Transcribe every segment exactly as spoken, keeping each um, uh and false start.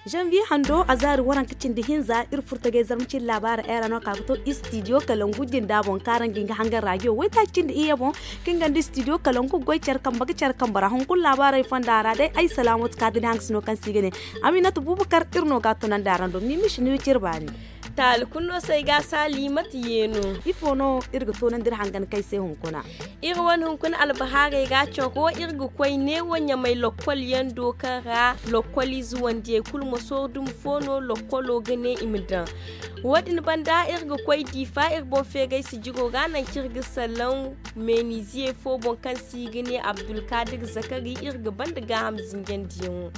Janvier hando a zaari waranka cindi hinza iri furtagay zarma cindi laabaara era no ka ga to istidiyo kalangu jinda boŋ kaaraŋ ga nga hangan raajiyo waytaaci cindi iyye boŋ. Kaŋ ganda istidiyo kalangu goy care kambe ga care kambe ra hunkuna laabaarey fonda ra day ay salaamatu ka ga ne hangasino kaŋ se i ga ne aminata bubakar iri no ga a tunandi araŋ do mimishi ni wiciri baani. Taali kulu no se ay ga a saali mate yeeno. Ifo no iri ga toonandi iri hangan kay se hunkuna? Iri wane hunkuna albahaarey ra caro iri ga koy neewo ɲamay lokkol yaŋ do kaŋ ra lokkol ize wandiyey kulu ma sooru dumi fo no lokkolo ga ne i ma daŋ. Wo- din banda iri ga koy diifa iri boŋ feegay sijiro ra nangu kaŋ iri ga salaŋ meeniziyey fo boŋ kaŋ se i ga ne abdulkadir zakari iri ga banda gaaham zinjandiyaŋo.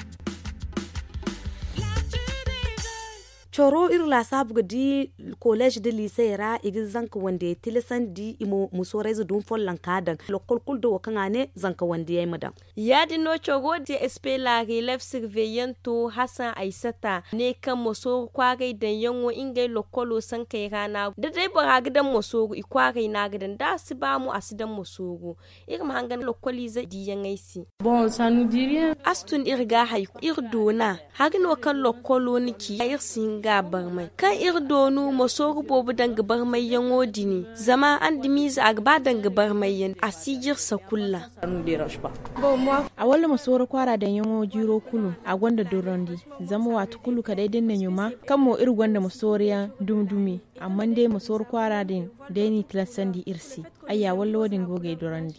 Coro iri laasaabu ga di koleez nda liisey ra i ga zanka wandiyey tilasandi i ma musoorayze dumi follonka daŋ lokkol kulu da wo kaŋ a ne zanka wandiyey ma daŋ. Ya- din no coro da espela relef sirveyanto hasan aysata ne kaŋ masooru kwaaray daŋyaŋo ngey lokkolo sankey ra no a go da day bora ga daŋ masooru i kwaaray no a ga daŋ da a si ba mo a si daŋ masooru. Iri ma hangan lokkoliize diiyaŋey se. A si tun iri ga hari kulu iri doona. Hari no kaŋ lokkolo na ci iri si hin ga a barmay kaŋ iri doonu masooru boobo danga barmayyaŋo din zama andamiize a ga ba danga barmayyaŋ a si jirsa kulu ra. A walla masooru kwaara daŋyaŋo jiiro kulu a gonda dorandi. Zama waati kulu kala day da ni na ɲuma kaŋ mo iri gonda masooru yaŋ dumi dumi. Amma day masooru kwaara din day n'i tilasandi iri se. Ayya walla wo- din go ga ay dorandi.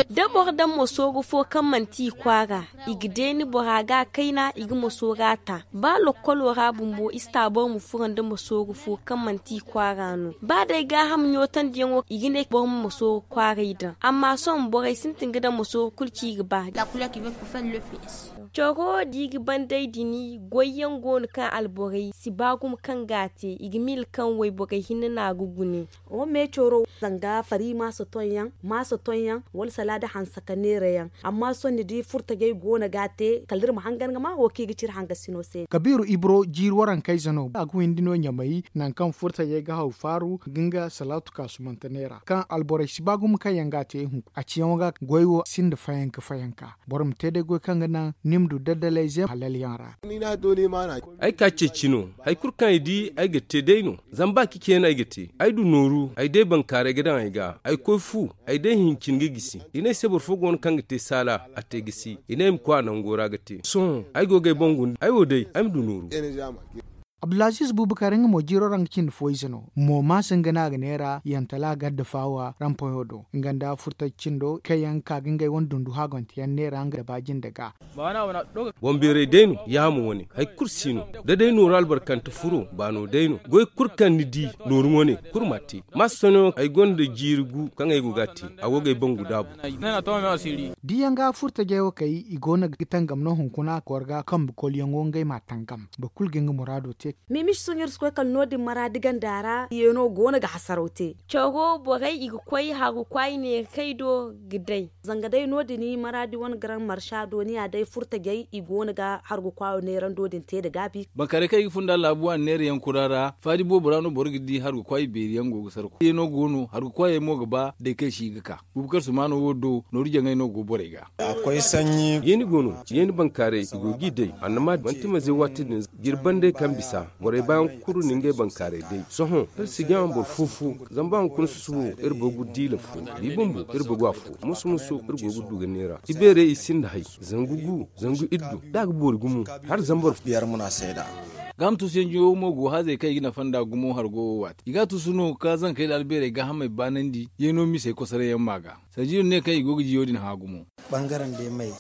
Da boro daŋ masooru fo kaŋ manti i kwaara i ga deeni bora ga a kayna i ga masoora ta ba lokkolo ra bumbo i si ta boro ma furo nda masooru fo kaŋ manti i kwaara no ba day gaaham ɲootandiyaŋo i ga ne boro ma masooru kwaaray daŋ amma sohõ borey sintin ga daŋ masooru kulu ci i ga ba. Coro da i ga banday din goyyaŋ go no kaŋ alborey si ba gumo kaŋ ga a te i ga miila kaŋ wayborey hinne no a ga gune. Wo me coro zanga fari maasa tonyaŋ maasa tonyaŋ wala salaada hanse ka neera yaŋ. Amma sohõ ni di furtajey go no ga a te kala iri ma hangan ga ma wo kaŋ i ga ci iri hangasino se. Kabiiru ibro jiiri warankayze no a ga windi no ɲamay nangu kaŋ furtajey ga haw faaru ga nga salaatu kaasumante neera kaŋ alborey si ba gumo kaŋ yaŋ ga a te hunku a ciyaŋo ga goy wo sinda fayanka fayanka. Boro ma te day goy kaŋ ga naŋ ni ma du daddalayze halal yaŋ ra. Ay ka ceeci no hari kulu kaŋ ay di ay ga te day no. Zama ba cici yaŋ no ay ga te ay du nooru ay day bankaaray ga daŋ ay ga ay koy fu ay day hincin ga gisi. I ne ay se boro fo go no kaŋ ga te saala a te gisi i ne ay ma koy a nango ra ga te sohõ ay go ga ay boŋ guna ay wo day ay ma du nooru. Abdulaziz bubakar nga mo jiiro ra nga cindi fo ize no mo maasa nga no a ga neera yantala gadda faawa rampoyo do nga nda furtaci cindo kaŋ yaŋ ga ka ga ngey wane dundu haagonteyaŋ neera nga da ba jinde ga. Boŋbeeray day no yaamo wane hari kulu si no da day nooru albarkante furo baano day no goy kulu kaŋ ni di nooru wane kulu ma a te. Maasa sohõ ay gonda jiiri gu kaŋ ay go ga a te a go ga ay bangu daabu. Diyaŋ ga furtajey wo kay i go no ga tangam no hunkuna kooro ga kambe kolyaŋo ngey ma a tangam boro kulu ga nga muraado te. Mimiši sohõ iri si koy kala no- din maraadi ganda ra yeeno go no ga hasaraw te. Caro borey i ga koy hargu kwaay neera kay do ga day. Zanga day no- din maraadi wane garaŋ marsa dooniya day furtajey i go no ga hargu kwaayo neerando din te nda gaabi. Bankaaray kaŋ i ga funda laabu waani neera yaŋ kura ra faadi boobo ra no boro ga di hargu kwaay beeri yaŋ go ga sarku yeeno go no hargu kwaayey mo ga ba day kaŋ i si ga ka. Bubakar sumaano wo do nooru jaŋay no go borey ga. Yeeni go no yeeni bankaaray i go g'i day annama manti maze waati din. Jirban day kaŋ bisa borey baayaŋ kulu na ngey bankaaray day sohõ iri si jaŋ boro fo fo. Zama ba hunkuna susubo iri boro ga diila fo. Bi bumbo iri boro ga afo musu musu iri go ga du ga neera ibeerey i sinda hay. Zangu gu zangu iddu da a ga boori gumo. Hala zambar. Biyar muna sayda. Gaama tuusuyanjiyo mo go haazey kaŋ i ga nafa nda gumo hargo wo waati i ga a tuusu no ka zankey da albeerey gaahamey baanandi yeeno misey kosoray yaŋ ma ga. Sanjiyo ne kaŋ i go ga jiyo din hã gumo.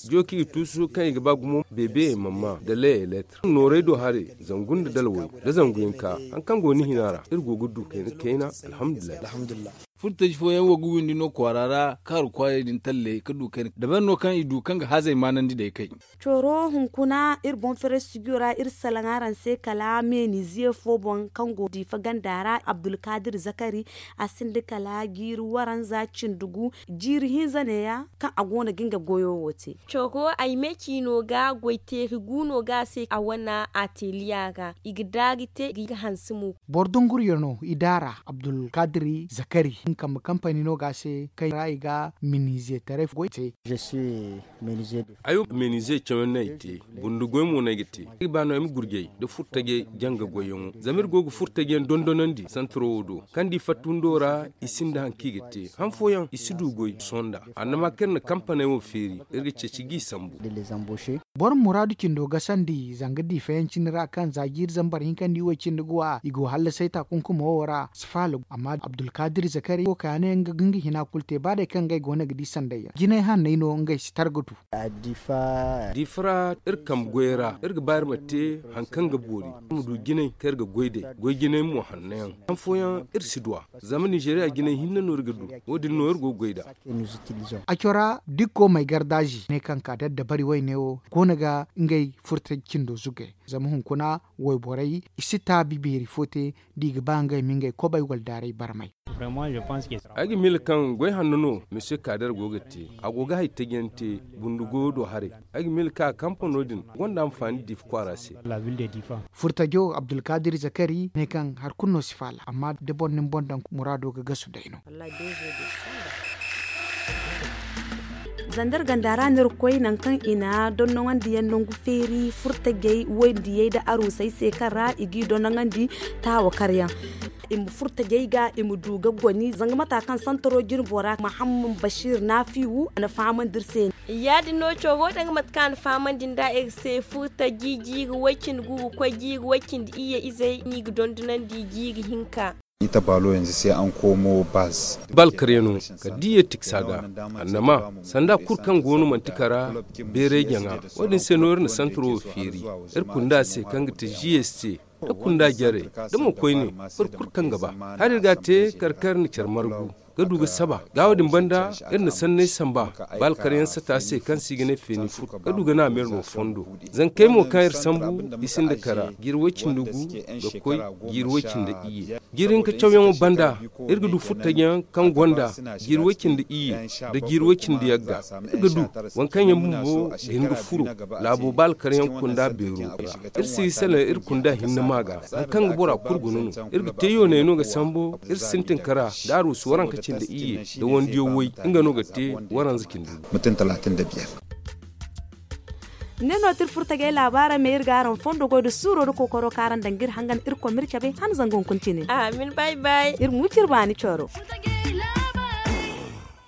Jooki ga tuusu kaŋ i ga ba gumo beebeyey mamma da leyey leetar noorey do haray zangu nda dalawey da zangu hinka. Haŋ kaŋ go ni hina ra iri go ga du kayna kayna. Alhamdulillahi. Furtaji fooyaŋ wo ga windi no kwaara ra kaaru kwaayey din talley ka du kayna dabari no kaŋ i du kaŋ ga hazey maanandi day kay. Coro hunkuna iri boŋ ferestujo ra iri salaŋ araŋ se kala meeniziye fo boŋ kaŋ go diifa ganda ra abdulkaadir zakari. A sinda kala jiiri waranza cindi gu jiiri hinza neeya kaŋ a go no ga nga goyo wo te. Coro ay me ciino ga goyteeri gu no ga a se a wane ateliya ra i ga daari te i ga hanse mo. Boro dunguriyo no i daara abdulkadiri zakari nga kambe kampani no ga a se kaŋ ra i ga minize taray goy te. Ay wo minize cawan no ay te. Bundu goy mo no ay ga te ay ga ba no ay ma gurjay nda furtajay janga goyyaŋo zama iri go ga furtajay yaŋ dondonandi santaro wo do kaŋ da i fatta windo ra i sinda hari kaŋ i ga te han fooyaŋ i si du goy sonda. Annama kaŋ iri na kampaney wo feeri iri ga ceeci g'i sambu. Boro muraadu cindo gasandi zanga diifayaŋ cine ra kaŋ za jiiri zambar hinka nda i wo cindi ga wa i go hallasay taakunkumo wo ra si faala amma abdulkadir zakari wo ka ya ne nga ga nga hina kulu te ba day kaŋ ngey go no ga di sanday yaŋ jinay hanney no ngey si targatu. Diifa ra iri kambe goyey ra iri ga ba iri ma te hari kaŋ ga boori iri ma du jinay kaŋ iri ga goy day goy jinay mo hanno yaŋ han fooyaŋ iri si du a. Zama nizeeriya jinay hinne no iri ga du wo- din no iri go ga goy nd'a. A cora dikko may gardaazi ne kaŋ ka daddabari wayne wo go no ga ngey furta cindo zugay zama hunkuna wayborey i si taabi beeri fo te da i ga ba ngey ma ngey kobay wala daaray barmay. Ay ga miila kaŋ goy hanno no misiyo kaadar go ga te a go ga hari taji yaŋ te bundu goyo do haray. Ay ga miila kaŋ a kampano din gonda anfaani diifa kwaara se. Furtajo abdulkadir zakari ne kaŋ hari kulu no si faala amma da boro na ni boŋ daŋ muraado ga gasu day no. Zandar ganda ra no iri ga koy nangu kaŋ i na dondoŋandi yaŋ nangu feeri furtajey wayndiyey nda aruusey se kaŋ ra i g'i dondoŋandi taawa karyaŋ. I ma furtajey ga i ma du ga goni zanga mata kaŋ santaro jinbo ra mahamman basiir naafiwu a na fahamandi iri se. Ya- din no coro danga mate kaŋ a na fahamandi nd'a iri se furtaji jiiri way-cindi gu ga koy jiiri way-cindi iyye izey no i ga dondonandi jiiri hinka. Ita baalo yanzu se an komo baz. Bal karyano kala diya tiksa ga annama sanda kulu kaŋ go no manti kara beeray jaŋa. Wo- din se no iri na santaro wo feeri iri kunda se kaŋ ga te gs se da kunda jarey da mo koyne boro kulu kaŋ ga ba hala iri ga a te kala kaŋ iri na care margu ga du ga saba ga wo- din banda iri na sanney samba. Bal karyaŋ sata se kaŋ se i ga ne feeni fur ga du ga naama iri no fondo. Zankey mo kaŋ iri sambu i sinda kara jiiri way-cindi gu ga koy jiiri way-cindi iyye. Jiiri hinka cawyaŋo banda iri ga du furtajiyaŋ kaŋ gonda jiiri way-cindi iyye nda jiiri way-cindi yagga. Iri ga du waŋ kaŋ yaŋ bumbo ga hin ga furo laabo ba alkaryaŋ kunda beero ra. Iri si ga salaŋ iri kunda hinne ma ga hari kaŋ ga bora kulu guna no. Iri ga te yooney no ga sambu iri sintin kara da aruusu waranka cindi iyye nda wandiyo way nga no ga te waranza cindi. Mutum talatin da biyar. Ne no ti iri furtajey laabaarey me iri ga araŋ fondo goy nda suuro nda kookaro kaŋ araŋ daŋ ga iri hangan irkoy ma iri cabe han zangu hunkuna cine. Amin bay bay. Iri ma wi cire baani coro.